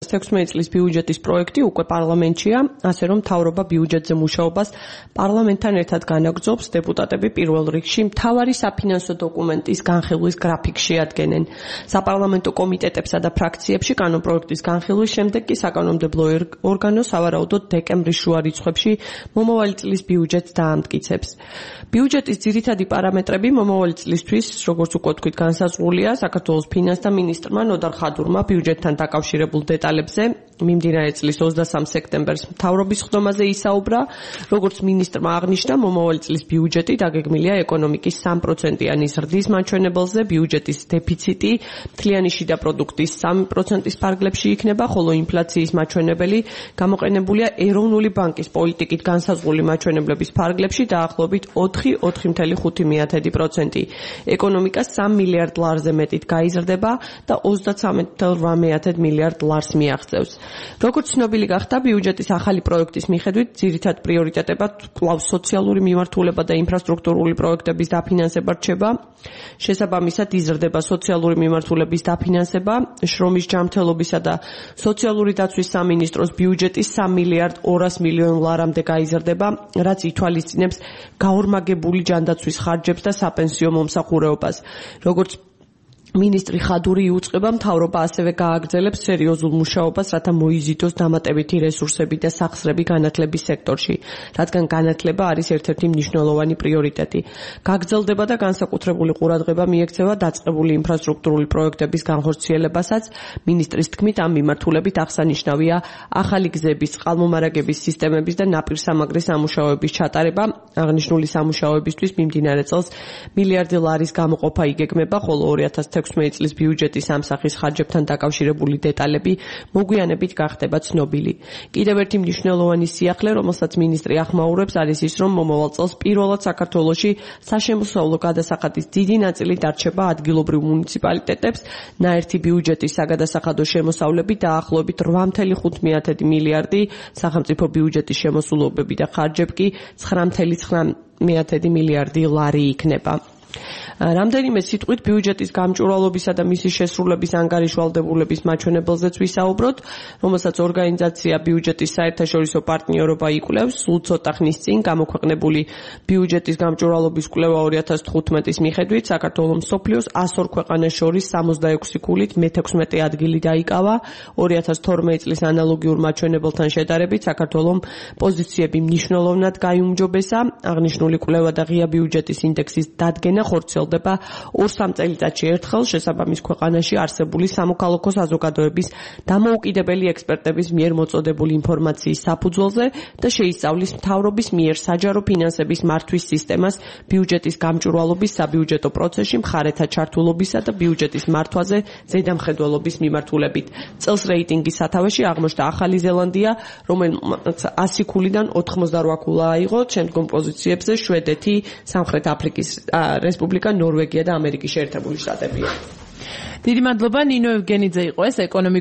16 წლის ბიუჯეტის პროექტი უკვე პარლამენტშია, ასე რომ მთავრობა ბიუჯეტზე მუშაობას პარლამენტთან ერთად განაგრძობს. დეპუტატები პირველ რიგში მთავარი საფინანსო დოკუმენტის განხილვის გრაფიკს შეადგენენ. საპარლამენტო კომიტეტებსა და ფრაქციებში კანონპროექტის განხილვის შემდეგ კი საკანონმდებლო ორგანო სავარაუდოდ დეკემბრის შუა რიცხვებში მომავალი წლის ბიუჯეტს დაამტკიცებს. ბიუჯეტის ძირითადი პარამეტრები მომავალი წლისთვის, როგორც უკვე თქვით, განსაზღვრულია საქართველოს ფინანსთა მინისტრმა ნოდარ ხადურმა ბიუჯეტთან დაკავშირებულ დეტალებზე მიმდინარე წლის 23 სექტემბერს მთავრობის ხდომაზე ისაუბრა. როგორც მინისტრმა აღნიშნა, მომავალი წლის ბიუჯეტი დაგეგმილია ეკონომიკის 3%-იანი ზრდის მაჩვენებელზე, ბიუჯეტის დეფიციტი მთლიანი შიდა პროდუქტის 3%-ის ფარგლებში იქნება, ხოლო ინფლაციის მაჩვენებელი გამოყენებულია ეროვნული ბანკის პოლიტიკით განსაზღვრული მაჩვენებლების ფარგლებში დაახლოებით 4.5%. ეკონომიკა 3 მილიარდ ლარზე მეტით გაიზრდება და 33.8 მილიარდ ლარს მიაღწევს. როგორც ცნობილი გახდა, ბიუჯეტის ახალი პროექტის მიხედვით ძირითად პრიორიტეტებად კვლავ სოციალური მიმართულება და ინფრასტრუქტურული პროექტების დაფინანსება რჩება. შესაბამისად იზრდება სოციალური მიმართულების დაფინანსება, შრომის ჯანმრთელობისა და სოციალური დაცვის სამინისტროს ბიუჯეტი 3 მილიარდ 200 მილიონ ლარამდე გაიზრდება, რაც ითვალისწინებს გაორმაგებული ჯანდაცვის ხარჯებს და საპენსიო მომსახურეობას. როგორც მინისტრი ხადური იუწყება, მთავრობა ასევე გააგრძელებს სერიოზულ მუშაობას, რათა მოიზიდოს დამატებითი რესურსები და სახსრები განათლების სექტორში, რადგან განათლება არის ერთ-ერთი მნიშვნელოვანი პრიორიტეტი. გაგრძელდება და განსაკუთრებული ყურადღება მიექცევა დაწყებული ინფრასტრუქტურული პროექტების განხორციელებასაც. მინისტრის თქმით, ამ მიმართულებით აღსანიშნავია ახალი გზების, წყალმომარაგების სისტემების და ნაპირსამაგრის სამუშაოების ჩატარება. აღნიშნული სამუშაოებისთვის მიმდინარე წელს მილიარდი ლარის გამოყოფა იგეგმება, ხოლო 2016 წლის ბიუჯეტის ამ სახის ხარჯებთან დაკავშირებული დეტალები მოგვიანებით გახდება ცნობილი. კიდევ ერთი მნიშვნელოვანი სიახლე, რომელსაც მინისტრი ახმაურებს, არის ის, რომ მომავალ წელს პირველად საქართველოში საშემოსავლო გადასახადის დიდი ნაწილი დარჩება ადგილობრივ მუნიციპალიტეტებს. ნაერთი ბიუჯეტის საგადასახადო შემოსავლები დაახლოებით 8.5 მილიარდი, სახელმწიფო ბიუჯეტის შემოსულობები და ხარჯები კი 9.9 მილიარდი ლარი იქნება. რამდენიმე სიტყვით ბიუჯეტის გამჭვირვალობისა და მისი შესრულების ანგარიშვალდებულების მაჩვენებელზეც ვისაუბროთ, რომელსაც ორგანიზაცია ბიუჯეტის საერთაშორისო პარტნიორობა იკვლევს. სულ ცოტა ხნის წინ გამოქვეყნებული ბიუჯეტის გამჭვირვალობის კვლევა 2015-ის მიხედვით საქართველოს მსოფლიოს 102 ქვეყანას შორის 66 ქულით მე-16 ადგილი დაიკავა. 2012 წლის ანალოგიურ მაჩვენებელთან შედარებით საქართველოს პოზიციები მნიშვნელოვნად გაიუმჯობესა. აღნიშნული კვლევა და ღია ბიუჯეტის ინდექსის დადგენა ხორციელდება 2-3 წელიწადში ერთხელ შესაბამის ქვეყანაში არსებული სამოქალაქო საზოგადოების დამოუკიდებელი ექსპერტების მიერ მოწოდებული ინფორმაციის საფუძველზე და შეისწავლის მთავრობის მიერ საჯარო ფინანსების მართვის სისტემას ბიუჯეტის გამჭვირვალობის საბიუჯეტო პროცესში მხარეთა ჩართულობისა და ბიუჯეტის მართვაზე ზედამხედველობის მიმართულებით. წელს რეიტინგის სათავეში აღმოჩნდა ახალი ზელანდია, რომელმაც 100 ქულიდან 88 ქულა აიღო, შემდგომ პოზიციებზე შვედეთი, სამხრეთ აფრიკის რესპუბლიკა, ნორვეგია და ამერიკის შეერთებული შტატებია. დიდი მადლობა, ნინო ევგენიძე იყო ეს ეკონომიკურ